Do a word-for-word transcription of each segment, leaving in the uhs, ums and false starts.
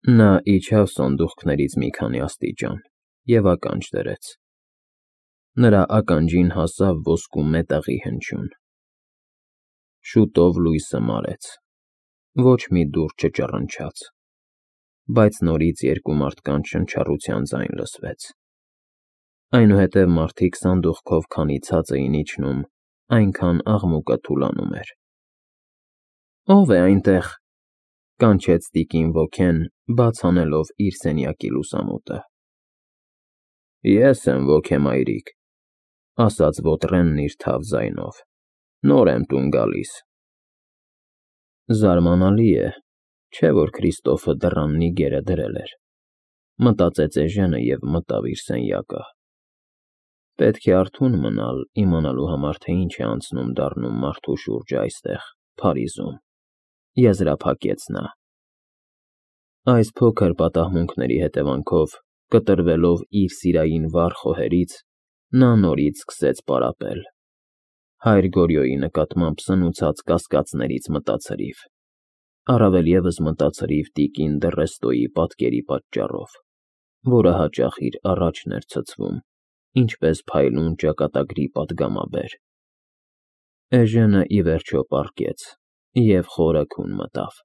Նա իջավ սանդուղքներից մի քանի աստիճան և ականջ դրեց. նրա ականջին հասավ ոսկու մետաղի հնչյուն. շուտով լույսը մարեց, ոչ մի դուռ չճռնչաց, բայց նորից երկու մարդկանց շնչառության ձայն լսվեց, այնուհետև մարդիկ սանդուղքով քանի ցած էին իջնում, այնքան աղմուկը թուլանում էր։ ֊ Ո՞վ է այնտեղ,֊ կանչեց տիկին ոգեն, բաց անելով իր սենյակի լուսամուտը։ ֊ Ես եմ, ոգե մայրիկ,֊ ասաց ոտրենն իր թավ ձայնով,֊ նոր եմ տուն գալիս։ Զարմանալի է, չէ՞ որ Քրիստոֆը դռան նիգերը դրել էր,֊ մտածեց Էժենը և մտավ իր սենյակը։ Պետք է արթուն մնալ, իմանալու համար, թե ինչ է անցնում դառնում մարդու շուրջը այստեղ, Փարիզում, եզրափակեց նա։ Այս փոքր պատահմունքների հետևանքով, կտրվելով իր սիրային վառ խոհերից, նա նորից սկսեց պարապել, հայր Գորյոյի նկատմամբ սնուցած կասկածներից մտացրիվ, առավել ևս մտացրիվ տիկին Դռեստոյի պատկերի պատճառով, որը հաճախ իր առաջն էր ցցվում, ինչպես փայլուն ճակատագրի պատգամաբեր։ Էժենը, ի վերջո, պառկեց և խորը քուն մտավ։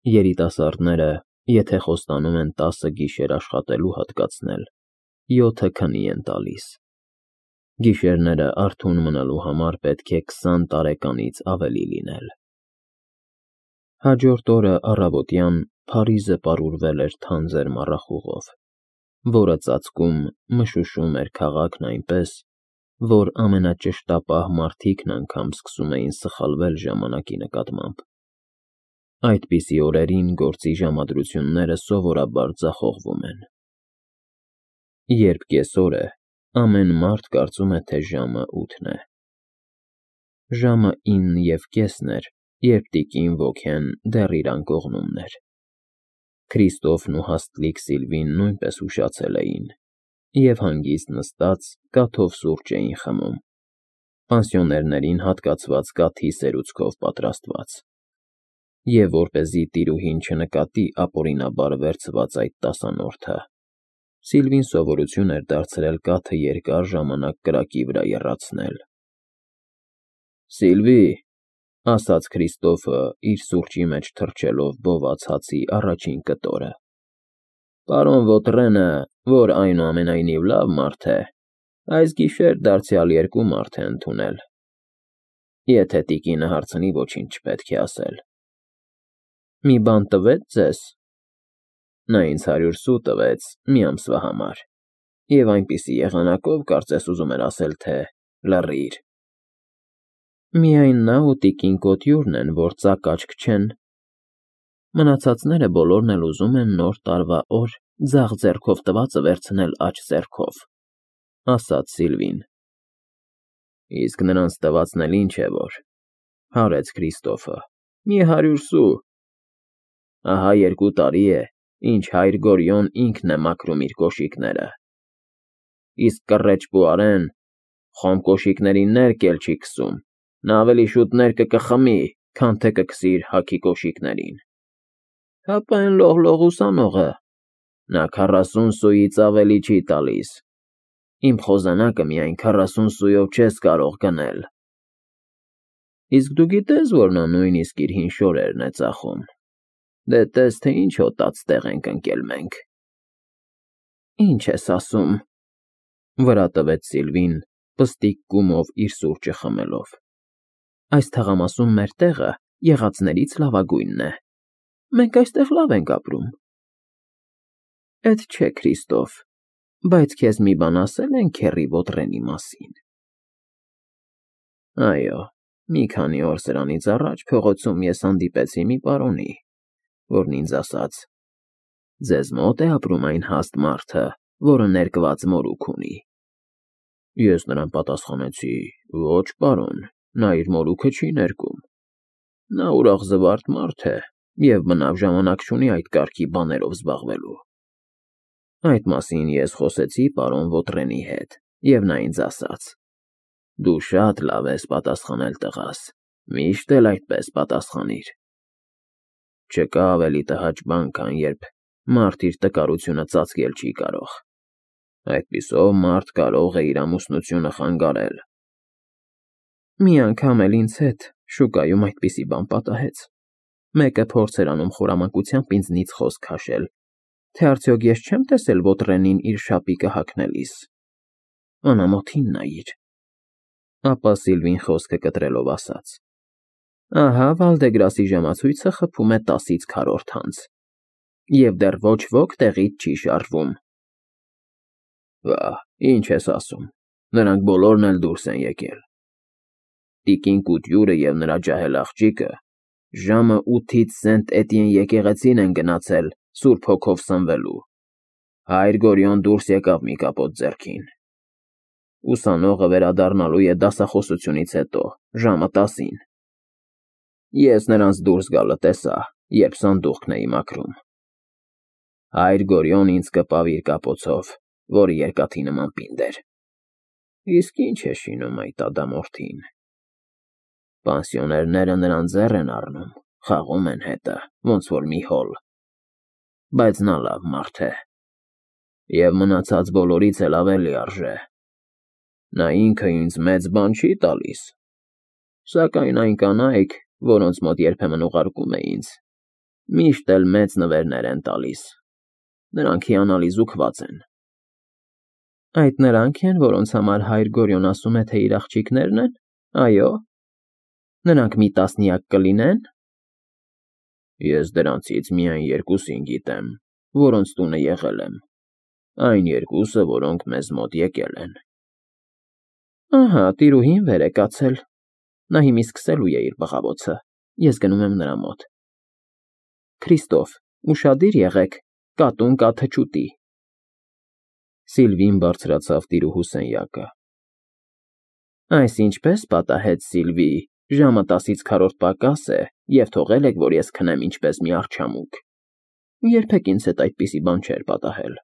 Երիտասարդները, եթե խոստանում են տասը գիշեր աշխատելու հատկացնել, յոթը քնի են տալիս։ Գիշերները արթուն մնալու համար պետք է քսան տարեկանից ավելի լինել։ Հաջորդ օրը առավոտյան Փարիզը պարուրվել էր թանձր մառախուղով, որը ծածկում, մշուշում էր քաղաքն այնպես, որ ամենաճշտապահ մարդիկն անգամ սկսում էին սխալվել ժամանակի նկատմամբ։ Այդպիսի օրերին գործի ժամադրությունները սովորաբար ձախողվում են։ Երբ կեսօր է, ամեն մարդ կարծում է, թե ժամը ութն է։ Ժամը ինն և կեսն էր, երբ տիկին ոգեն դեռ իր անկողնումն էր։ Քրիստոֆն ու հաստլիկ Սիլվին նույնպես ուշացել էին և հանգիստ նստած կաթով սուրճ էին խմում, պանսիոներներին հատկացված կաթի սերուցքով պատրաստված, և որպեսզի տիրուհին չնկատի ապօրինաբար վերցված այդ տասանորդը, Սիլվին սովորություն էր դարձրել կաթը երկար ժամանակ կրակի վրա եռացնել։ ֊ Սիլվի,֊ ասաց Քրիստոֆը, իր սուրճի մեջ թռչելով բոված հացի առաջին կտորը,֊ պարոն Ոտրենը, որ այնուամենայնիվ լավ մարդ է, այս գիշեր դարձյալ երկու մարդ է ընդունել, եթե տիկինը հարցնի, ոչինչ չպետք է ասել։ ֊ Մի բան տվե՞ց ձեզ։ ֊ Նա ինձ հարյուր սու տվեց մի ամսվա համար և այնպիսի եղանակով, կարծես ուզում էր ասել, թե լռիր։ ֊ Միայն նա ու տիկին Կոտյուրն են, որ ծակ աչք չեն, մնացածները բոլորն էլ ուզում են Նոր տարվա օր ձախ ձեռքով տվածը վերցնել աջ ձեռքով,֊ ասաց Սիլվին։ ֊ Իսկ նրանց տվածն էլ ինչ է որ,֊ հարեց Քրիստոֆը,֊ մի հարյուր սու։ Ահա երկու տարի է, ինչ հայր Գորյուն ինքն է մաքրում իր կոշիկները, իսկ կռեչ Պուարեն խոմ կոշիկներին ներք էլ չի քսում, նա ավելի շուտ ներկը կխմի, քան թե կքսի իր հագի կոշիկներին։ Հապա էն լողլող ուսանողը, նա քառասուն սուից ավելի չի տալիս, իմ խոզանակը միայն քառասուն սուով չես կարող գնել։ Իսկ դու գիտե՞ս, որ նա նույնիսկ իր հին շորերն է ծախում։ Դե տես, թե ինչ հոտած տեղ ենք ընկել մենք։ ֊ Ի՞նչ ես ասում,֊ վրա տվեց Սիլվին, պստիկ կումով իր սուրճը խմելով,֊ այս թղամասում մեր տեղը եղածներից լավագույնն է, մենք այստեղ լավ ենք ապրում։ ֊ Էդ չէ, Քրիստոֆ, բայց քեզ մի բան ասե՞լ են քեռի Ոտրենի մասին։ ֊ Այո, մի քանի օր սրանից առաջ փողոցում ես հանդիպեցի մի պարոնի, որն ինձ ասաց. «Ձեզ մո՞տ է ապրում այն հաստ մարդը, որը ներկված մորուք ունի»։ Ես նրան պատասխանեցի. «Ոչ, պարոն, նա իր մորուքը չի ներկում։ Նա ուրախ զվարթ մարդ է և բնավ ժամանակ չունի այդ կարգի բաներով զբաղվելու»։ Այդ մասին ես խոսեցի պարոն Ոտրենի հետ, և նա ինձ ասաց. «Դու շատ լավ ես պատասխանել, տղաս, միշտ էլ այդպես պատասխանիր»։ Չկա ավելի տհաճ բան, քան երբ մարդ իր տկարությունը ծածկել չի կարող։ Այդպիսով մարդ կարող է իր ամուսնությունը խանգարել։ Մի անգամ էլ ինձ հետ շուկայում այդպիսի բան պատահեց։ Մեկը փորձ էր անում խորամանկությամբ ինձնից խոսք քաշել, թե արդյոք ես չեմ տեսել Ոտրենին իր շապիկը հագնելիս։ Անամոթին նայիր։ Ապա Սիլվին խոսքը կտրելով ասաց. Ահա Վալդեգրասի ժամացույցը խփում է տասից քառորդ անց, և դեռ ոչ ոք տեղից չի շարժվում։ Վա, ինչ ես ասում, նրանք բոլորն էլ դուրս են եկել։ Տիկին Կուտյուրը և նրա ջահել աղջիկը ժամը ութից Սենտ Էտիեն եկեղեցին են գնացել Սուրբ Հոգով սնվելու։ Հայր Գորիոն դուրս եկավ մի կապոտ ձեռքին։ Ուսանողը վերադառնալու է դասախոսությունից հետո, ժամը տասին։ Ես նրանց դուրս գալը տեսա, երբ սանդուղքն էի մաքրում։ Հայր Գորիոն ինձ կպավ իր կապոցով, որը երկաթի նման պինդ էր։ Իսկ ինչ է շինում այդ ադամորդին։ Պանսիոներները նրան ձեռ են առնում, խաղում են հետը, ոնց որ մի հոլ։ Բայց նա լավ մարդ է։ Եվ մնացած բոլորից էլ ավելի արժե։ Նա ինքը ինձ մեծ բան չի տալիս, սակայն այն կանայք, որոնց մոտ երբեմն ուղարկում է ինձ, միշտ էլ մեծ նվերներ են տալիս։ Նրանք հիանալի զուգված են։ Այդ նրանք են, որոնց համար հայր Գորիոն ասում է, թե իր աղջիկներն են, այո։ Նրանք մի տասնյակ կլինեն։ Ես դրանցից միայն երկուսին գիտեմ, որոնց տունը եղել եմ, այն երկուսը, որոնք մեզ մոտ եկել են։ Ահա, տիրուհին վեր է կացել։ Նա հիմա սկսելու է իր բղավոցը, ես գնում եմ նրա մոտ։ Քրիստոֆ, ուշադիր եղեք, կատուն կա թչուտի։ Սիլվին բարձրացավ տիրուհու սենյակը։ Այս ինչպես պատահեց, Սիլվի, ժամը տասից քառորդ պակաս է, և թողել եք, որ ես քնեմ ինչպես մի արջամուկ։ Երբեք ինձ հետ այդպիսի բան չէր պատահել։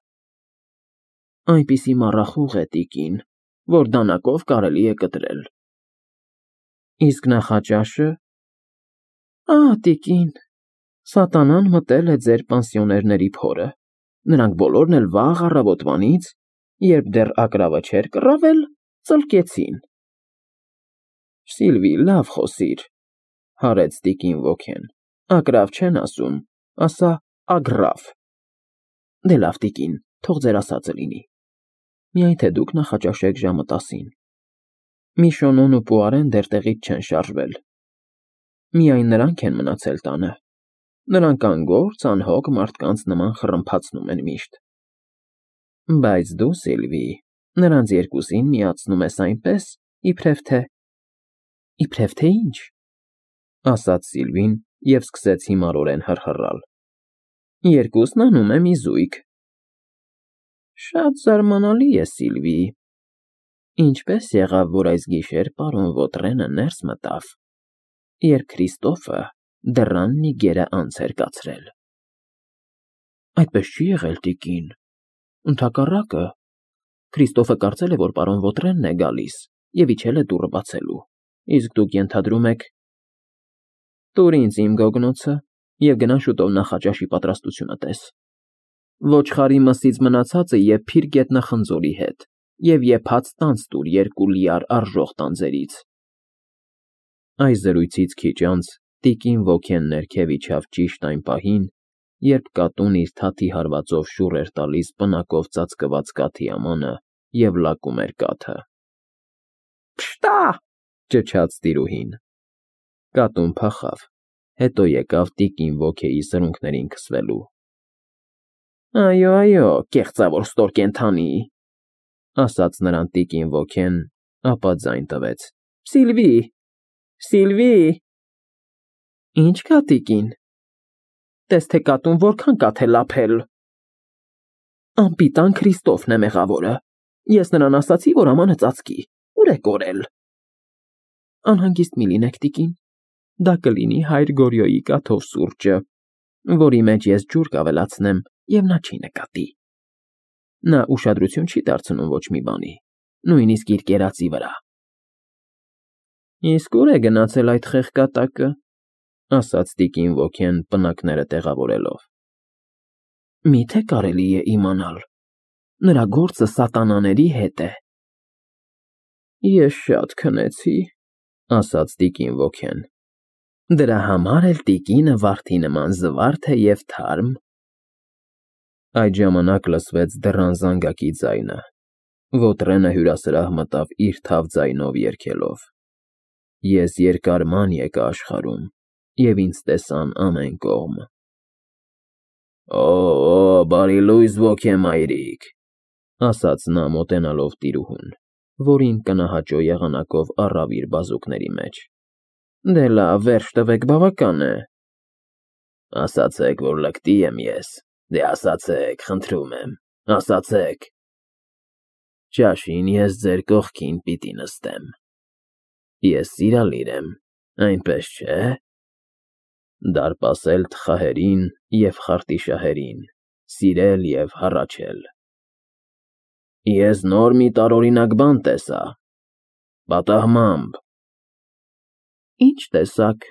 Այնպիսի մառախուղ է, տիկին, որ դանակով կարելի է կտրել։ Իսկ նախաճաշը։ Ահ, տիկին, սատանան մտել է ձեր պանսիոներների փորը։ Նրանք բոլորն էլ վաղ առավոտվանից, երբ դեռ ագռավը չէր կռավել, ծլկեցին։ Սիլվի, լավ խոսիր, հարեց տիկին Վոքեն, ագռավ չեն ասում, ասա ագռավ։ Դե լավ, տիկին, թող ձեր ասածը լինի։ Միայն թե դուք նախաճաշեք ժամը տասին։ Միշոնոն ու Պուարեն դեռ տեղից չեն շարժվել։ Միայն նրանք են մնացել տանը։ Նրանք անգործ, անհոգ մարդկանց նման խռմփացնում են միշտ։ Բայց դու, Սիլվի, նրանց երկուսին միացնում ես այնպես, իբրև թե… Իբրև թե ինչ, ասաց Սիլվին և սկսեց հիմարորեն հռհռալ։ Երկուսն անում եմ իզույգ։ Շատ զարմանալի է, Սիլվի։ Ինչպես եղավ, որ այս գիշեր պարոն Ոտրենը ներս մտավ, երբ Քրիստոֆը դռան մի գերը անց էր կացրել։ Այդպես չի եղել, տիկին, ընդհակառակը, Քրիստոֆը կարծել է, որ պարոն Ոտրենն է գալիս և իջել է դուռը բացելու, իսկ դուք ենթադրում եք… Տուր ինձ իմ գոգնոցը և գնա շուտով նախաճաշի պատրաստությունը տես։ Ոչխարի մսից մնացածը և փիր գետնախնձորի հետ, և եփած տանձ տուր երկու լիար արժող տանձերից։ Այս զրույցից քիչ անց տիկին Վոքեն ներքև իջավ ճիշտ այն պահին, երբ կատուն իր թաթի հարվածով շուռ էր տալիս պնակով ծածկված կաթի ամանը և լակում էր կաթը։ Փշտա, ճչաց տիրուհին։ Կատուն փախավ, հետո եկավ տիկին Վոքեի սրունքներին քսվելու։ Այո, այո, կեղծավոր ստոր կենդանի, ասաց նրան տիկին Վոքեն, ապա ձայն տվեց. Սիլվի, Սիլվի… Ինչ կա, տիկին։ Տես թե կատուն որքան կաթ է լափել։ Անպիտան Քրիստոֆն է մեղավորը։ Ես նրան ասացի, որ ամանը ծածկի, ուր է կորել։ Անհանգիստ մի լինեք, տիկին, դա կլինի հայր Գորիոյի կաթով սուրճը, որի մեջ ես ջուր կավելացնեմ, և նա չի նկատի։ Նա ուշադրություն չի դարձնում ոչ մի բանի, նույնիսկ իր կերածի վրա։ Իսկ ուր է գնացել այդ խեղկատակը։ ասաց տիկին Ոքեն պնակները տեղավորելով։ Մի՞թե կարելի է իմանալ, նրա գործը սատանաների հետ է։ Ես շատ քնեցի, ասաց տիկին Ոքեն։ Դրա համար էլ տիկինը վարդի նման զվարթ է և թարմ։ Այդ ժամանակ լսվեց դռան զանգակի ձայնը։ Ոտրենը հյուրասրահ մտավ իր թավ ձայնով երգելով. Ես երկար ման եկա աշխարհում, և ինձ տեսան ամեն կողմ։ Օ, բարի լույս ոգե մայրիկ, ասաց նա մոտենալով տիրուհուն, որին կնահաճո եղանակով առավ իր բազուկների մեջ։ Դե լավ, վերջ տվեք, բավական է։ Ասացեք, որ լկտի եմ ես, դե ասացեք, խնդրում եմ, ասացեք։ Ճաշին ես ձեր կողքին պիտի նստեմ։ Ես սիրալիր եմ, այնպես չէ։ Դարպասել թխահերին և խարտիշահերին, սիրել և հառաչել։ Ես նոր մի տարօրինակ բան տեսա, պատահմամբ։ Ինչ տեսաք,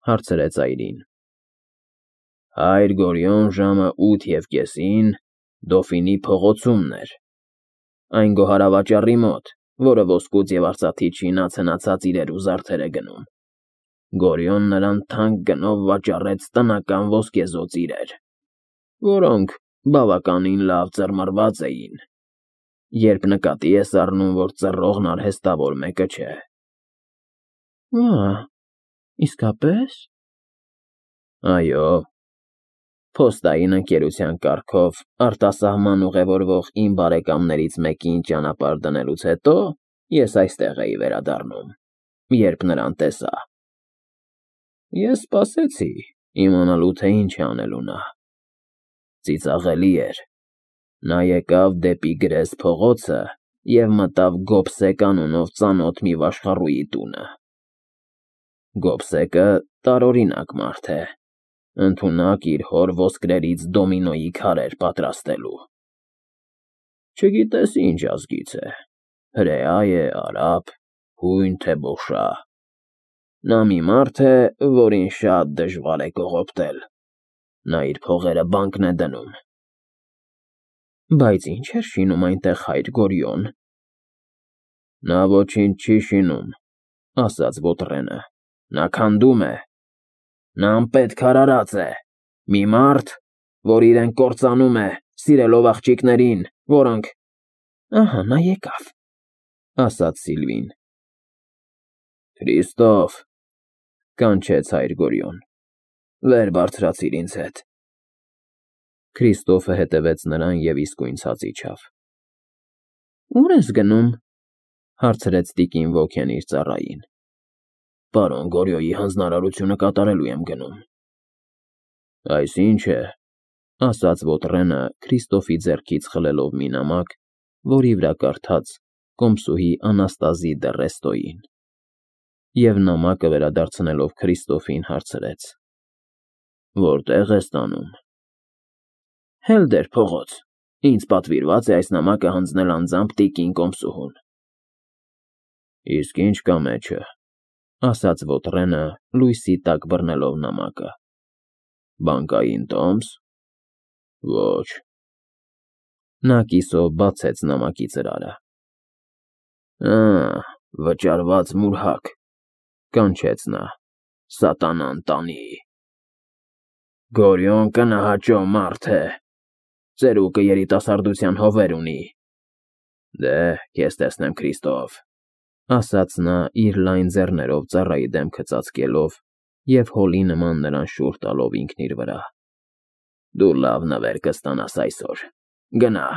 հարցրեց այրին։ Հայր Գորիոն ժամը ութ և կեսին Դոֆինի փողոցումն էր, այն գոհարավաճառի մոտ, որը ոսկուց և արծաթից շինած֊հնացած իրեր ու զարդեր է գնում։ Գորիոն նրան թանկ գնով վաճառեց տնական ոսկեզօծ իրեր, որոնք բավականին լավ ծռմռված էին, երբ նկատի ես առնում, որ ծռողն արհեստավոր մեկը չէ։ Ա, իսկապե՞ս։ Այո։ Փոստային ընկերության կարգով արտասահման ուղևորվող իմ բարեկամներից մեկին ճանապարհ դնելուց հետո ես այստեղ էի վերադառնում, երբ նրան տեսա։ Ես սպասեցի, իմանալու, թե ինչ է անելու նա։ Ծիծաղելի էր։ Նա եկավ դեպի Գրես փողոցը և մտավ Գոբսեկ անունով ծանոթ մի վաշխառուի տունը։ Գոբսեկը տարօրինակ մարդ է, ընդունակ իր հոր ոսկրերից դոմինոյի քարեր պատրաստելու։ Չգիտես ինչ ազգից է, հրեա է, արաբ, հույն, թե բոշա։ Նա մի մարդ է, որին շատ դժվար է կողոպտել։ Նա իր փողերը բանկն է դնում։ Բայց ինչ էր շինում այնտեղ հայր Գորիոն։ Նա ոչինչ չի շինում, ասաց Ոտրենը, նա քանդում է։ Նա անպետք արարած է, մի մարդ, որ իրեն կործանում է, սիրելով աղջիկներին, որոնք… Ահա նա եկավ, ասաց Սիլվին։ Քրիստոֆ, կանչեց հայր Գորիոն, վեր բարձրացիր ինձ հետ։ Քրիստոֆը հետևեց նրան և իսկույն ցած իջավ։ Ո՞ւր ես գնում, հարցրեց տիկին Ոքեն իր ծառային։ Պարոն Գորիոյի հանձնարարությունը կատարելու եմ գնում։ Այսինչ է, ասաց Ոտրենը Քրիստոֆի ձեռքից խլելով մի նամակ, որի վրա կարդաց կոմսուհի Անաստազի դը Ռեստոյին, և նամակը վերադարձնելով Քրիստոֆին հարցրեց. Որտե՞ղ ես տանում։ Հելդեր փողոց, ինձ պատվիրված է այս նամակը հանձնել անձամբ տիկին կոմսուհուն։ Իսկ ինչ կա մեջը, ասաց Ոտրենը, լույսի տակ բռնելով նամակը։ Բանկային տոմս։ Ոչ։ Նա կիսով բացեց նամակի ծրարը։ Ա, վճարված մուրհակ, կանչեց նա, սատանան տանի։ Գորիոն կնահաճո մարդ է, ծերուկը երիտասարդության հովեր ունի։ Դե, քեզ տեսնեմ, Քրիստոֆ, ասաց նա իր լայն ձեռներով ծառայի դեմքը ծածկելով և հոլի նման նրան շուռ տալով ինքն իր վրա։ Դու լավ նվեր կստանաս այսօր, գնա։